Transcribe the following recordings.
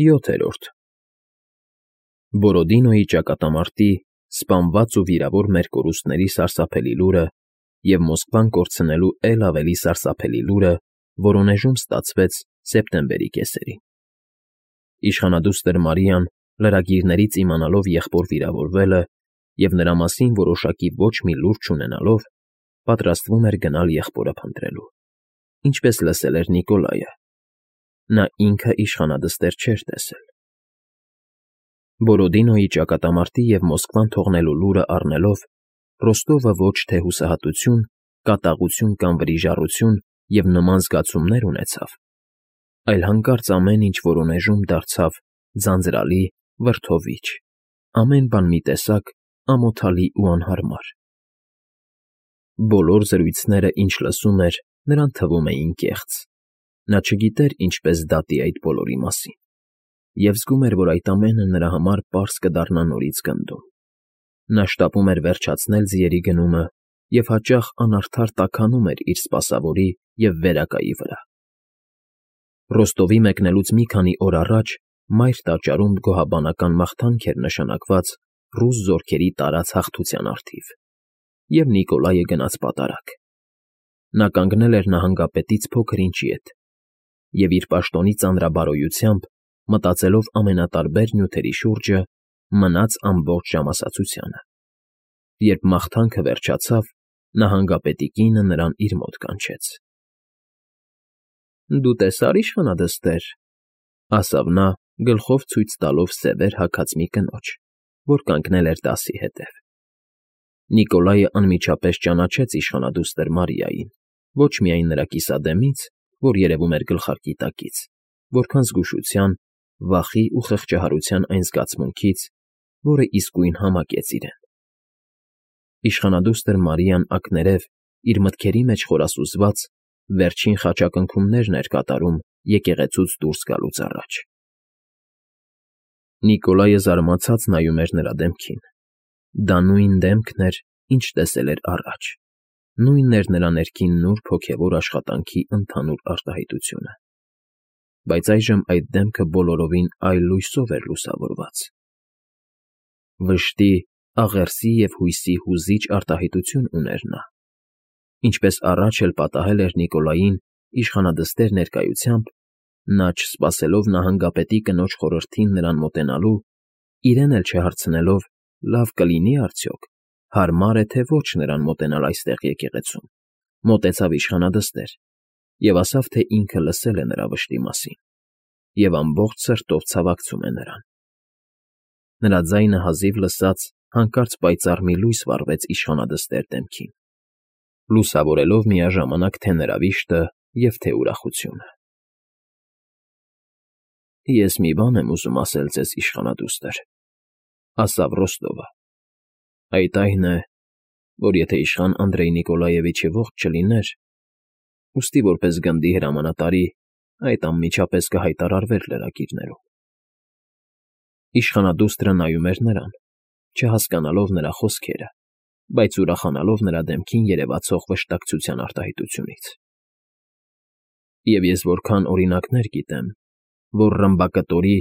7-րդ Բորոդինոյի ճակատամարտի սպանված ու վիրավոր մեր կորուստների սարսափելի լուրը և Մոսկվան կորցնելու էլ ավելի սարսափելի լուրը Վորոնեժում ստացվեց սեպտեմբերի կեսերին։ Իշխանադուստր Մարիան, լրագիրներից իմանալով եղբոր վիրավորվելը և նրա մասին որոշակի ոչ մի լուր չունենալով, պատրաստվում էր գնալ եղբորը փնտրելու, ինչպես լսել էր Նիկոլայը։ Նա ինքը իշխանադստեր չէր տեսել։ Բորոդինոյի ճակատամարտի և Մոսկվան թողնելու լուրը առնելով, Ռոստովը ոչ թե հուսահատություն, կատաղություն կամ վրիժառություն և նման զգացումներ ունեցավ, այլ հանկարծ ամեն ինչ Վորոնեժում դարձավ ձանձրալի, վրդովիչ, ամեն բան մի տեսակ ամոթալի ու անհարմար։ Բոլոր զրույցները, ինչ լսում էր, նրան թվում էին կեղծ։ Նա չգիտեր ինչպես դատի այդ բոլորի մասին և զգում էր, որ այդ ամենը նրա համար պարզ կդառնա նորից գնդում։ Նա շտապում էր վերջացնել ձիերի գնումը և հաճախ անարդար տաքանում էր իր սպասավորի և վերակայի վրա։ Ռոստովի մեկնելուց մի քանի օր առաջ մայր տաճարում գոհաբանական մաղթանք էր նշանակված ռուս զորքերի տարած հաղթության առթիվ, և Նիկոլայը գնաց պատարագ։ Նա կանգնել էր նահանգապետից փոքր ինչի հետ և իր պաշտոնի ծանրաբարոյությամբ, մտածելով ամենատարբեր նյութերի շուրջը, մնաց ամբողջ ժամասացությանը։ Երբ մաղթանքը վերջացավ, նահանգապետի կինը նրան իր մոտ կանչեց։ ֊ Դու տեսա՞ր, իշխանադստեր,֊ ասավ նա, գլխով ցույց տալով սևեր հագած մի կնոջ, որ կանգնել էր դասի հետև։ Նիկոլայը անմիջապես ճանաչեց իշխանադուստր Մարիային, ոչ միայն նրա կիսադեմից, որ երևում էր գլխարկի տակից, որքան զգուշության, վախի ու խղճահարության այն զգացմունքից, որը իսկույն համակեց իրեն։ Իշխանադուստր Մարիան ակներև, իր մտքերի մեջ խորասուզված, վերջին խաչակնքումներն էր կատարում եկեղեցուց դուրս գալուց առաջ։ Նիկոլայը զարմացած նայում էր նրա դեմքին։ Դա նույն դեմքն էր, ինչ տեսել էր առաջ, նույնն էր նրա ներքին նուրբ հոգևոր աշխատանքի ընդհանուր արտահայտությունը։ Բայց այժմ այդ դեմքը բոլորովին այլ լույսով էր լուսավորված։ Վշտի, աղերսի և հույսի հուզիչ արտահայտություն ուներ նա։ Ինչպես առաջ էլ պատահել էր Նիկոլային իշխանադստեր ներկայությամբ, նա, չսպասելով նահանգապետի կնոջ խորհրդին նրան մոտենալու, իրեն էլ չհարցնելով լավ կլինի՞ արդյոք, հարմար է թե ոչ նրան մոտենալ այստեղ եկեղեցում, մոտեցավ իշխանադստեր և ասավ, թե ինքը լսել է նրա վշտի մասին և ամբողջ սրտով ցավակցում է նրան։ Նրա ձայնը հազիվ լսած հանկարծ պայծառ մի լույս վառվեց իշխանադստեր դեմքին, լուսավորելով միաժամանակ թե նրա վիշտը և թե ուրախությունը։ ֊ Ես մի բան եմ ուզում ասել ձեզ, իշխանադուստր,֊ ասավ Ռոստովը,֊ այդ այն է, որ եթե իշխան Անդրեյ Նիկոլաևիչը ողջ չլիներ, ուստի որպես գնդի հրամանատարի այդ անմիջապես կհայտարարվեր լրագիրներում։ Իշխանադուստրը նայում էր նրան, չհասկանալով նրա խոսքերը, բայց ուրախանալով նրա դեմքին երևացող վշտակցության արտահայտությունից։ Եվ ես որքան օրինակներ գիտեմ, որ ռմբակտորի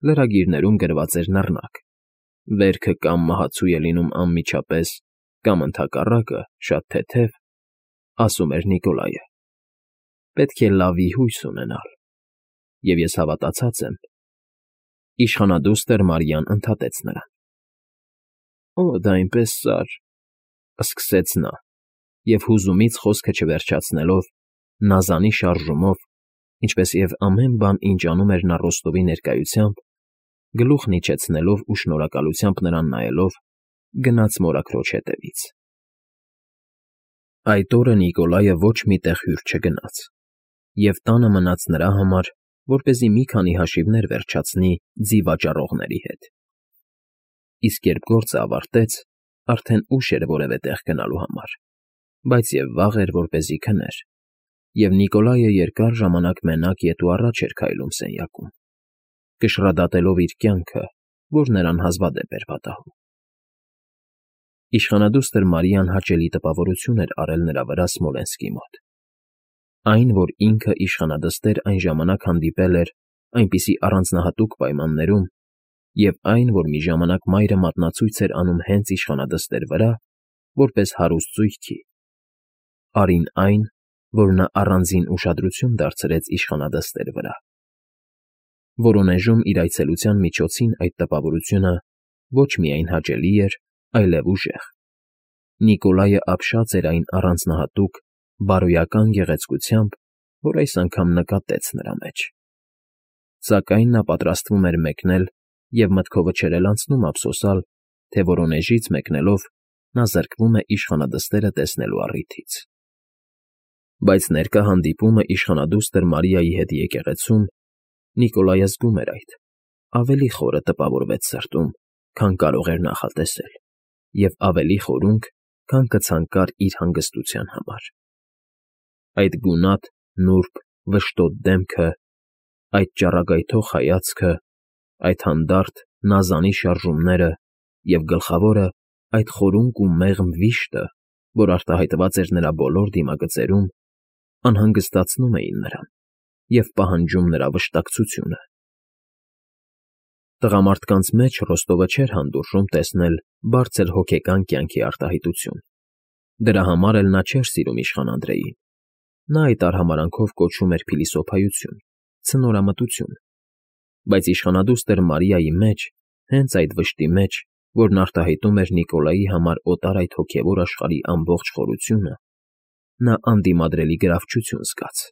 լրագիրներում գրված էր նռնակ. «Վերքը կամ մահացու է լինում անմիջապես, կամ ընդհակառակը, շատ թեթև», ասում էր Նիկոլայը։ Պետք է լավի հույս ունենալ։ Եվ ես հավատացած եմ։ Իշխանադուստր Մարիան ընդհատեց նրան։ ֊ Օ, դա այնպես սար,֊ սկսեց նա, և հուզումից խոսքը չվերջացնելով, նազանի շարժումով, ինչպես և ամեն բան, ինչ անում էր նա Ռոստովի ներկայությամբ, գլուխն իջեցնելով ու շնորհակալությամբ նրան նայելով, գնաց մորաքրոջ հետևից։ Այդ օրը Նիկոլայը ոչ մի տեղ հյուր չգնաց և տանը մնաց նրա համար, որպեսզի մի քանի հաշիվներ վերջացնի ձի վաճառողների հետ։ Իսկ երբ գործը ավարտեց, արդեն ուշ էր որևէ տեղ գնալու համար, բայց և վաղ էր, որպեսզի քներ, և Նիկոլայը երկար ժամանակ մենակ ետ ու առաջ էր քայլում սենյակում, կշռադատելով իր կյանքը, որ նրան հազվադեպ էր պատահում։ Իշխանադուստր Մարիան հաճելի տպավորություն էր արել նրա վրա Սմոլենսկի մոտ։ Այն, որ ինքը իշխանադստեր այն ժամանակ հանդիպել էր այնպիսի առանձնահատուկ պայմաններում, և այն, որ մի ժամանակ մայրը մատնացույց էր անում հենց իշխանադստեր վրա, որպես հարուստ զույգի, արին այն, որ նա առանձին ուշադրություն դարձրեց իշխանադստեր վրա։ Որոնեժում իր այցելության միջոցին այդ տպավորությունը ոչ միայն հաճելի էր, այլև ուժեղ։ Նիկոլայը ապշած էր այն առանձնահատուկ, բարոյական գեղեցկությամբ, որ այս անգամ նկատեց նրա մեջ։ Սակայն նա պատրաստվում էր մեկնել և մտքովը չէր էլ անցնում ափսոսալ, թե որոնեժից մեկնելով նա զրկվում է իշխանադստերը տեսնելու առիթից։ Բայց ներկա հանդիպումը իշխանադուստր Մարիայի հետ եկեղեցում Նիկոլայը զգում էր այդ, ավելի խորը տպավորվեց սրտում, քան կարող էր նախատեսել, և ավելի խորունկ, քան կցանկար իր հանգստության համար։ Այդ գունատ, նուրբ, վշտոտ դեմքը, այդ ճառագայթող հայացքը, այդ հանդարտ, նազանի շարժումները և, գլխավորը, այդ խորունկ ու մեղմ վիշտը, որ արտահայտված էր նրա բոլոր դիմագծերում, անհանգստացնում էին նրան և պահանջում նրա վշտակցությունը։ Տղամարդկանց մեջ Ռոստովը չէր հանդուրժում տեսնել բարձր հոգեկան կյանքի արտահայտություն։ Դրա համար էլ նա չէր սիրում իշխան Անդրեյին։ Նա այդ արհամարանքով կոչում էր փիլիսոփայություն, ցնորամտություն, բայց իշխանադուստր Մարիայի մեջ, հենց այդ վշտի մեջ, որն արտահայտում էր Նիկոլայի համար օտար այդ հոգևոր աշխարհի ամբողջ խորությունը, նա անդիմադրելի գրավչություն զգաց։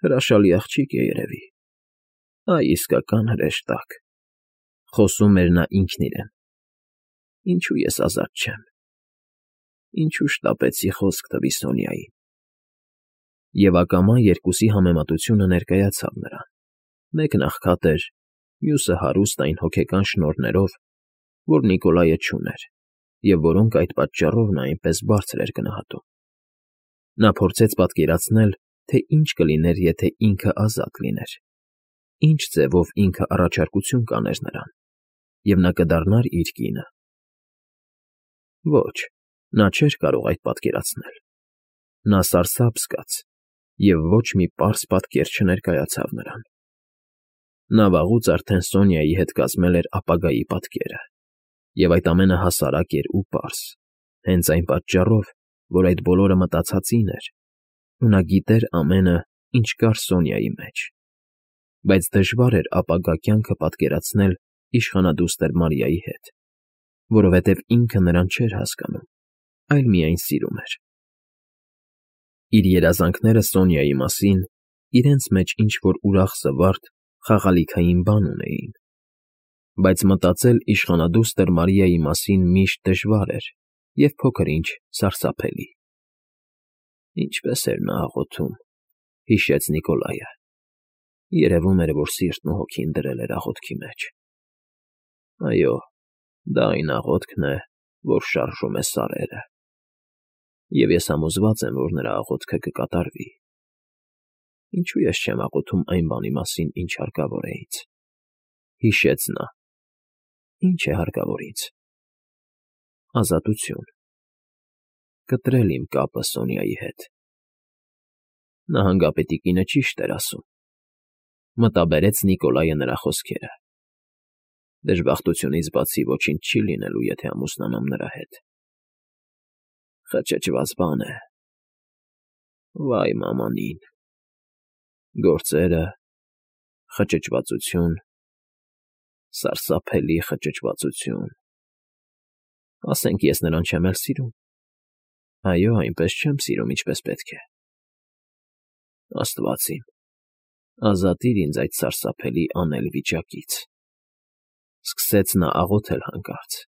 «Հրաշալի աղջիկ է երևի, այ իսկական հրեշտակ», խոսում էր նա ինքն իրեն։ «Ինչու ես ազատ չեմ, ինչու շտապեցի խոսք տվի Սոնյային»։ Եվ ակամա երկուսի համեմատությունը ներկայացավ նրան. մեկն աղքատ էր, մյուսը հարուստ այն հոգեկան շնորհներով, որ Նիկոլայը չուներ, և որոնք այդ պատճառով նա այնպես բարձր էր գնահատում։ Նա փորձեց պատկերացնել, թե ինչ կլիներ, եթե ինքը ազատ լիներ, ինչ ձևով ինքը առաջարկություն կաներ նրան, և նա կդառնար իր կինը։ Ոչ, նա չէր կարող այդ պատկերացնել։ Նա սարսափ զգաց, և ոչ մի պարզ պատկեր չներկայացավ նրան։ Նա վաղուց արդեն Սոնյայի հետ կազմել էր ապագայի պատկերը, և այդ ամենը հասարակ էր ու պարզ, հենց այն պատճառով, որ այդ բոլորը մտածածին էր, ու նա գիտեր ամենը, ինչ կար Սոնյայի մեջ։ Բայց դժվար էր ապագա կյանքը պատկերացնել իշխանադուստր Մարիայի հետ, որովհետև ինքը նրան չէր հասկանում, այլ միայն սիրում էր։ Իր երազանքները Սոնյայի մասին իրենց մեջ ինչ-որ ուրախ զվարթ, խաղալիքային բան ունեին, բայց մտածել իշխանադուստր Մարիայի մասին միշտ դժվար էր և փոքր֊ինչ սարսափելի։ Ինչպես էր նա աղոթում, հիշեց Նիկոլայը։ Երևում էր, որ սիրտն ու հոգին դրել էր աղոթքի մեջ։ Այո, դա այն աղոթքն է, որ շարժում է սարերը։ Եվ ես համոզված եմ, որ նրա աղոթքը կկատարվի։ Ինչու ես չեմ աղոթում այն բանի մասին, ինչ հարկավոր է ինձ։ Հիշեց նա։ Ինչ է հարկավոր ինձ։ Ազատություն։ Կտրել իմ կապը Սոնյայի հետ։ Նահանգապետի կինը ճիշտ էր ասում։ Մտաբերեց Նիկոլայը նրա խոսքերը։ Դժբախտությունից բացի ոչինչ չի լինելու, եթե ամուսնանամ նրա հետ։ Խճճված բան է։ Վայ մամանին։ Գործերը, խճճվածություն, սարսափելի խճճվածություն։ Ասենք ես նրան չեմ էլ սիրում։ Այո, այնպես չեմ սիրում, ինչպես պետք է։ Աստված իմ, ազատիր ինձ այդ սարսափելի անել վիճակից։ Սկսեց նա աղոթել հանկարծ։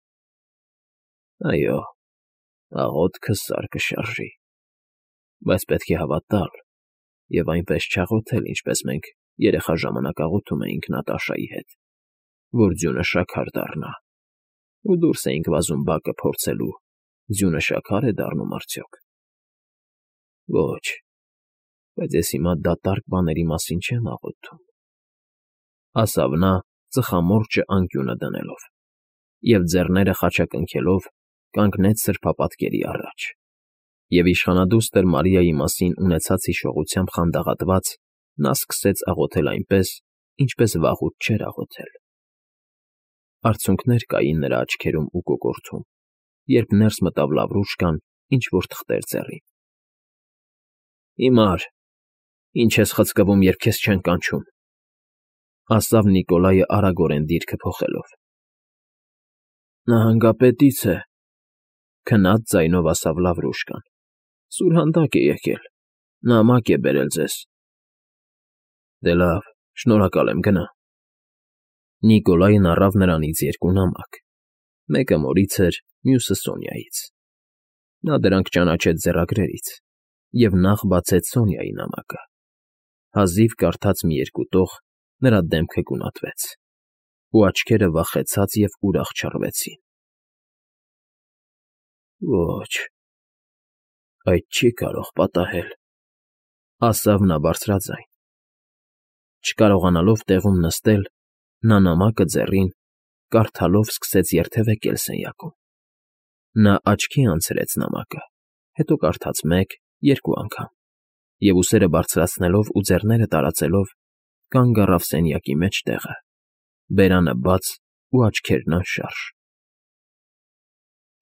Այո, աղոթքը սար կշարժի, բայց պետք է հավատալ և այնպես չաղոթել, ինչպես մենք երեխա ժամանակ աղոթում էինք Նատաշայի հետ, որ ձյունը շաքար դառնա, ու դուրս էինք վազում բակը փորձելու, ձյունը շաքա՞ր է դառնում արդյոք։ Ոչ, բայց ես հիմա դատարկ բաների մասին չեմ աղոթում, ասավ նա ծխամորճը անկյունը դնելով, և ձեռները խաչակնքելով կանգնեց սրբապատկերի առաջ, և իշխանադուստր Մարիայի մասին ունեցած հիշողությամբ խանդաղատված նա սկսեց աղոթել այնպես, ինչպես վաղուց չէր աղոթել։ Արցունքներ կային նրա աչքերում ու կոկորդում, երբ ներս մտավ Լավրուշկան, ինչ-որ թղթեր ձեռին։ Հիմար, ինչ ես խցկվում, երբ քեզ չեն կանչում,֊ ասավ Նիկոլայը արագորեն դիրքը փոխելով։ Նահանգապետից է,֊ քնած ձայնով ասավ Լավրուշկան։ Սուրհանդակ է եկել, նամակ է բերել ձեզ։ Դե լավ, շնորհակալ եմ, գնա։ Նիկոլային առավ նրանից երկու նամակ, մեկը Մորից էր, մյուսը Սոնյայից։ Նա դրանք ճանաչեց ձեռագրերից և նախ բացեց Սոնյայի նամակը։ Հազիվ կարդաց մի երկու տող, նրա դեմքը գունատվեց, ու աչքերը վախեցած և ուրախ չռվեցին։ Ոչ, այդ չի կարող պատահել,֊ ասավ նա բարձրաձայն։ Չկարողանալով տեղում նստել, նա նամակը ձեռին, կարդալով սկսեց երթևեկել սենյակում։ Նա աչքի անցրեց նամակը, հետո կարդաց մեկ, երկու անգամ, և ուսերը բարձրացնելով ու ձեռները տարածելով, կանգ առավ սենյակի մեջտեղը, բերանը բաց ու աչքերն անշարժ։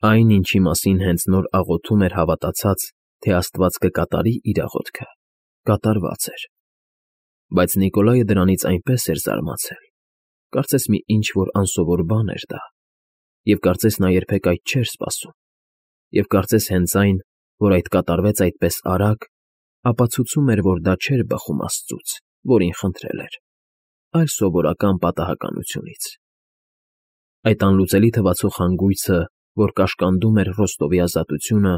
Այն, ինչի մասին հենց նոր աղոթում էր հավատացած, թե Աստված կկատարի իր աղոթքը, կատարված էր։ Բայց Նիկոլայը դրանից այնպես էր զարմացել, կարծես մի ինչ֊որ անսովոր բան էր դա, և կարծես նա երբեք այդ չէր սպասում, և կարծես հենց այն, որ այդ կատարվեց այդպես արագ, ապացուցում էր, որ դա չէր բխում Աստծուց, որին խնդրել էր, այլ սովորական պատահականությունից։ Այդ անլուծելի թվացող հանգույցը, որ կաշկանդում էր Ռոստովի ազատությունը,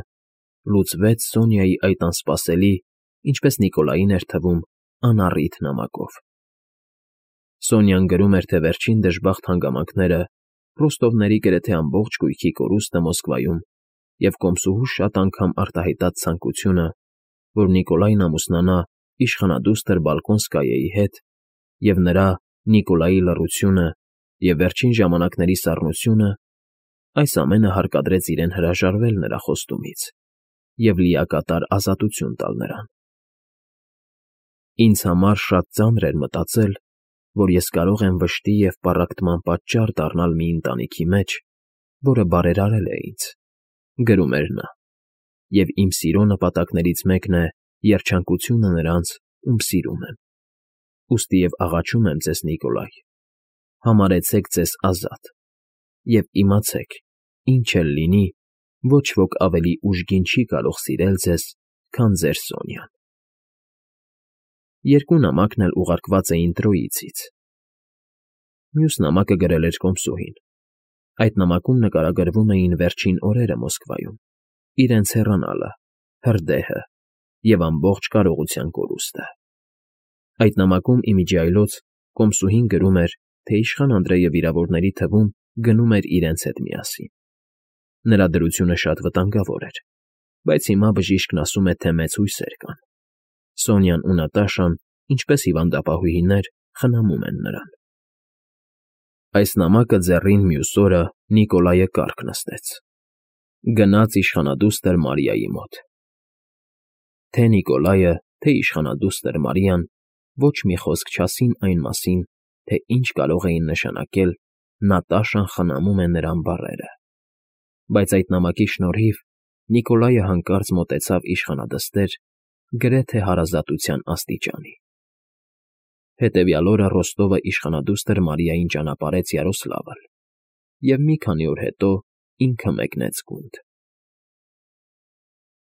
լուծվեց Սոնյայի այդ անսպասելի, ինչպես Նիկոլային էր թվում, անառիթ նամակով։ Սոնյան գրում էր, թե վերջին դժբախտ հանգամանքները, Ռոստովների գրեթե ամբողջ կույքի կորուստը Մոսկվայում և կոմսուհու շատ անգամ արտահայտած ցանկությունը, որ Նիկոլայն ամուսնանա իշխանադուստր Բալկոնսկայեի հետ, և նրա՝ Նիկոլայի լռությունը և վերջին ժամանակների սառնությունը, այս ամենը հարկադրեց իրեն հրաժարվել նրա խոստումից և լիակատար ազատություն տալ նրան։ Ինձ համար շատ ծանր էր մտածել, որ ես կարող եմ վշտի և պառակտման պատճառ դառնալ մի ընտանիքի մեջ, որը բարերարել է ինձ, գրում էր նա, և իմ սիրո նպատակներից մեկն է երջանկությունը նրանց, ում սիրում եմ։ Ուստի և աղաչում եմ ձեզ, Նիկոլայ, համարեցեք ձեզ ազատ և իմացեք, ինչ էլ լինի, ոչ ոք ավելի ուժգին չի կարող սիրել ձեզ, քան ձեր Սոնյան։ Երկու նամակն էլ ուղարկված էին Տրոիցից։ Մյուս նամակը գրել էր կոմսուհին։ Այդ նամակում նկարագրվում էին վերջին օրերը Մոսկվայում, իրենց հեռանալը, հրդեհը և ամբողջ կարողության կորուստը։ Այդ նամակում ի միջի այլոց կոմսուհին գրում էր, թե իշխան Անդրեյը վիրավորների թվում գնում էր իրենց հետ միասին։ Նրա դրությունը շատ վտանգավոր էր, բայց հիմա բժիշկն ասում է, թե մեծ հույսեր կան։ Սոնյան ու Նատաշան, ինչպես հիվանդապահուհիներ, խնամում են նրան։ Այս նամակը ձեռին մյուս օրը Նիկոլայը կառք նստեց։ Գնաց իշխանադուստր Մարիայի մոտ։ Թե Նիկոլայը, թե իշխանադուստր Մարիան ոչ մի խոսք չասին այն մասին, թե ինչ կարող էին նշանակել Նատաշան խնամում է նրան բառերը։ Բայց այդ նամակի շնորհիվ Նիկոլայը հանկարծ մոտեցավ իշխանադստեր գրեթե հարազատության աստիճանի։ Հետևյալ օրը Ռոստովը իշխանադուստր Մարիային ճանապարհեց Յարոսլավլ և մի քանի օր հետո ինքը մեկնեց գունդ։